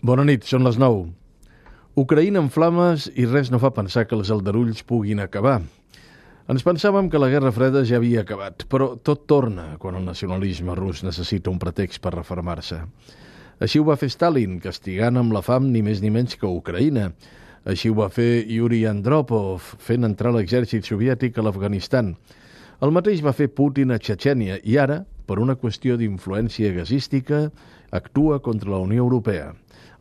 Bona nit, són les 9. Ucraïna en flames i res no fa pensar que els aldarulls puguin acabar. Ens pensàvem que la Guerra Freda ja havia acabat, però tot torna quan el nacionalisme rus necessita un pretext per refermar-se. Així ho va fer Stalin, castigant amb la fam ni més ni menys que Ucraïna. Així ho va fer Yuri Andropov, fent entrar l'exèrcit soviètic a l'Afganistan. El mateix va fer Putin a Txetxènia i ara, per una qüestió d'influència gasística, actua contra la Unió Europea.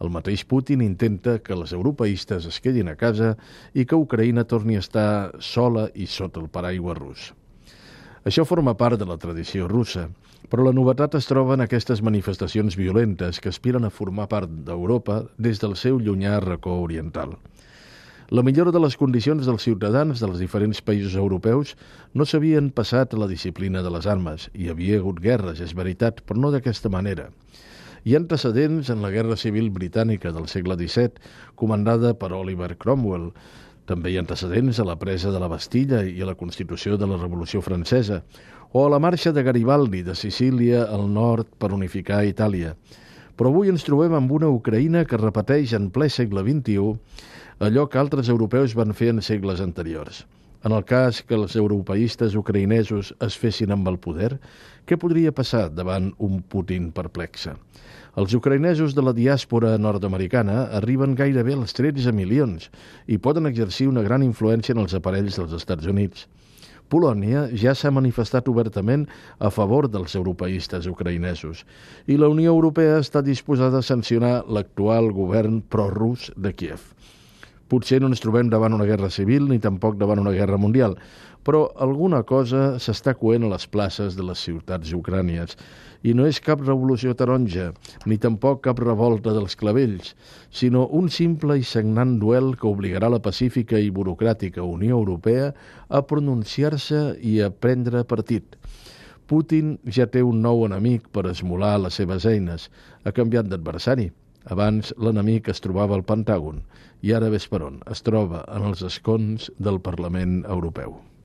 El mateix Putin intenta que els europeistes es quedin a casa i que Ucraïna torni a estar sola i sota el paraigua rus. Això forma part de la tradició russa, però la novetat es troba en aquestes manifestacions violentes que aspiren a formar part d'Europa des del seu llunyà racó oriental. La millora de les condicions dels ciutadans dels diferents països europeus no s'havien passat a la disciplina de les armes. Hi havia hagut guerres, és veritat, però no d'aquesta manera. Hi ha antecedents en la Guerra Civil Britànica del segle XVII, comandada per Oliver Cromwell. També hi ha antecedents a la presa de la Bastilla i a la Constitució de la Revolució Francesa, o a la marxa de Garibaldi de Sicília al nord per unificar Itàlia. Però avui ens trobem amb una Ucraïna que repeteix en ple segle XXI allò que altres europeus van fer en segles anteriors. En el cas que els europeistes ucraïnesos es fessin amb el poder, què podria passar davant un Putin perplexe? Els ucraïnesos de la diàspora nord-americana arriben gairebé als 13 milions i poden exercir una gran influència en els aparells dels Estats Units. Polònia ja s'ha manifestat obertament a favor dels europeistes ucraïnesos i la Unió Europea està disposada a sancionar l'actual govern prorus de Kiev. Potser no ens trobem davant una guerra civil ni tampoc davant una guerra mundial, però alguna cosa s'està coent a les places de les ciutats ucrànies. I no és cap revolució taronja, ni tampoc cap revolta dels clavells, sinó un simple i sagnant duel que obligarà la pacífica i burocràtica Unió Europea a pronunciar-se i a prendre partit. Putin ja té un nou enemic per esmolar les seves eines. Ha canviat d'adversari. Abans l'enemic es trobava al Pentàgon i ara ves per on, es troba en els escons del Parlament Europeu.